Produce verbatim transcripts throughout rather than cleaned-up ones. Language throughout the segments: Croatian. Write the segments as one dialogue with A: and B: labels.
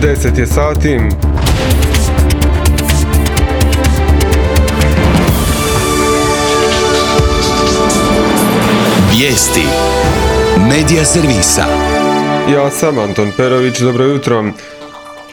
A: deset je sati.
B: Vijesti Medija servisa.
A: Ja sam Anton Perović, dobro jutro.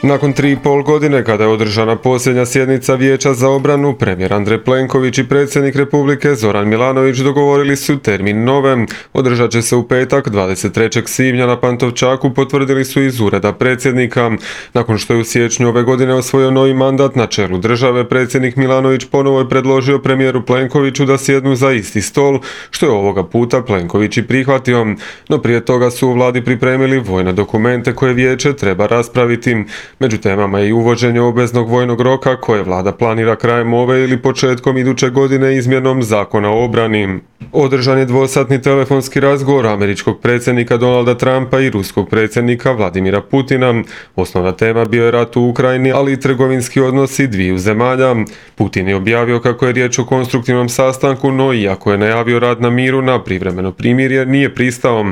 A: Nakon tri i pol godine kada je održana posljednja sjednica Vijeća za obranu, premijer Andrej Plenković i predsjednik Republike Zoran Milanović dogovorili su termin nove. Održat će se u petak dvadeset trećeg svibnja na Pantovčaku, potvrdili su iz ureda predsjednika. Nakon što je u siječnju ove godine osvojio novi mandat na čelu države, predsjednik Milanović ponovo je predložio premijeru Plenkoviću da sjednu za isti stol, što je ovoga puta Plenković i prihvatio. No prije toga su u vladi pripremili vojne dokumente koje vijeće treba raspraviti. Među temama je i uvođenje obveznog vojnog roka koje vlada planira krajem ove ili početkom iduće godine izmjenom zakona o obrani. Održan je dvosatni telefonski razgovor američkog predsjednika Donalda Trumpa i ruskog predsjednika Vladimira Putina. Osnovna tema bio je rat u Ukrajini, ali i trgovinski odnosi dviju zemalja. Putin je objavio kako je riječ o konstruktivnom sastanku, no iako je najavio rad na miru, na privremeno primirje nije pristao.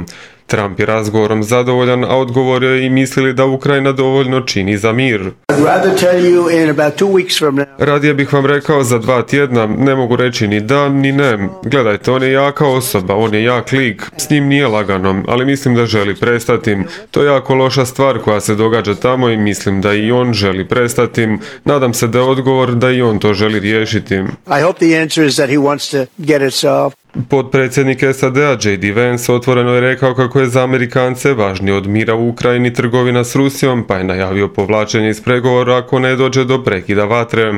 A: Trump je razgovorom zadovoljan, a odgovorio je i mislili da Ukrajina dovoljno čini za mir. Radije bih vam rekao za dva tjedna, ne mogu reći ni da, ni ne. Gledajte, on je jaka osoba, on je jak lik, s njim nije lagano, ali mislim da želi prestati. To je jako loša stvar koja se događa tamo i mislim da i on želi prestati. Nadam se da je odgovor da i on to želi riješiti.
C: I hope the answer is that he wants to get it solved.
A: Potpredsjednik S A D-a J D Vance otvoreno je rekao kako je za Amerikance važnije od mira u Ukrajini trgovina s Rusijom, pa je najavio povlačenje iz pregovora ako ne dođe do prekida vatre.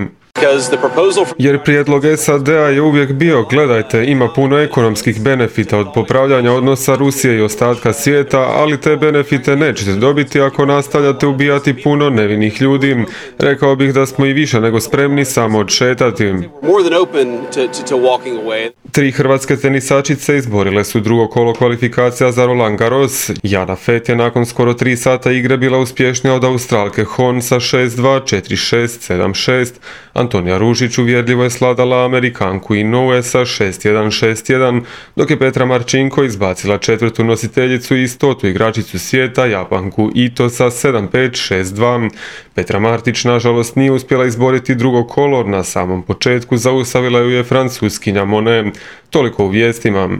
A: Jer prijedlog S A D-a je uvijek bio, gledajte, ima puno ekonomskih benefita od popravljanja odnosa Rusije i ostatka svijeta, ali te benefite nećete dobiti ako nastavljate ubijati puno nevinih ljudi. Rekao bih da smo i više nego spremni samo odšetati. Tri hrvatske tenisačice izborile su drugo kolo kvalifikacija za Roland Garros. Jana Fett je nakon skoro tri sata igre bila uspješnija od Australke Hon sa šest dva, četiri šest, sedam šest. Antonija Ružić uvjerljivo je sladala Amerikanku Inoue sa šest jedan, šest jedan, dok je Petra Marčinko izbacila četvrtu nositeljicu i stotu igračicu svijeta, Japanku Ito sa sedam pet, šest dva. Petra Martić nažalost nije uspjela izboriti drugo kolo, na samom početku zaustavila ju je Francuskinja Monet. Toliko u vijestima.